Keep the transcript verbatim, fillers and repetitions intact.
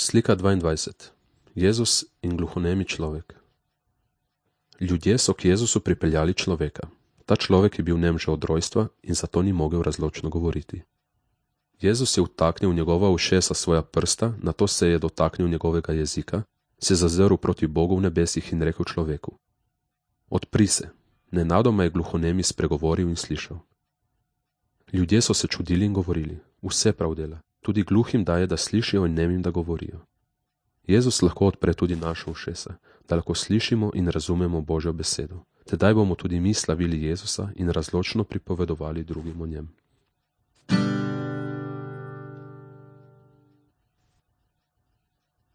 Slika dvaindvajset. Jezus in gluhonemi človek. Ljudje so k Jezusu pripeljali človeka. Ta človek je bil nem že od rojstva in zato ni mogel razločno govoriti. Jezus je vtaknil v njegova ušesa svoja prsta, nato se je dotaknil njegovega jezika, se zazrl proti Bogu v nebesih in rekel človeku: Odpri se. Nenadoma je gluhonemi spregovoril in slišal. Ljudje so se čudili in govorili: Vse prav dela. Tudi gluhim daje, da slišijo, in nemim, da govorijo. Jezus lahko odpre tudi naša ušesa, da lahko slišimo in razumemo Božjo besedo. Tedaj bomo tudi mi slavili Jezusa in razločno pripovedovali drugim o njem.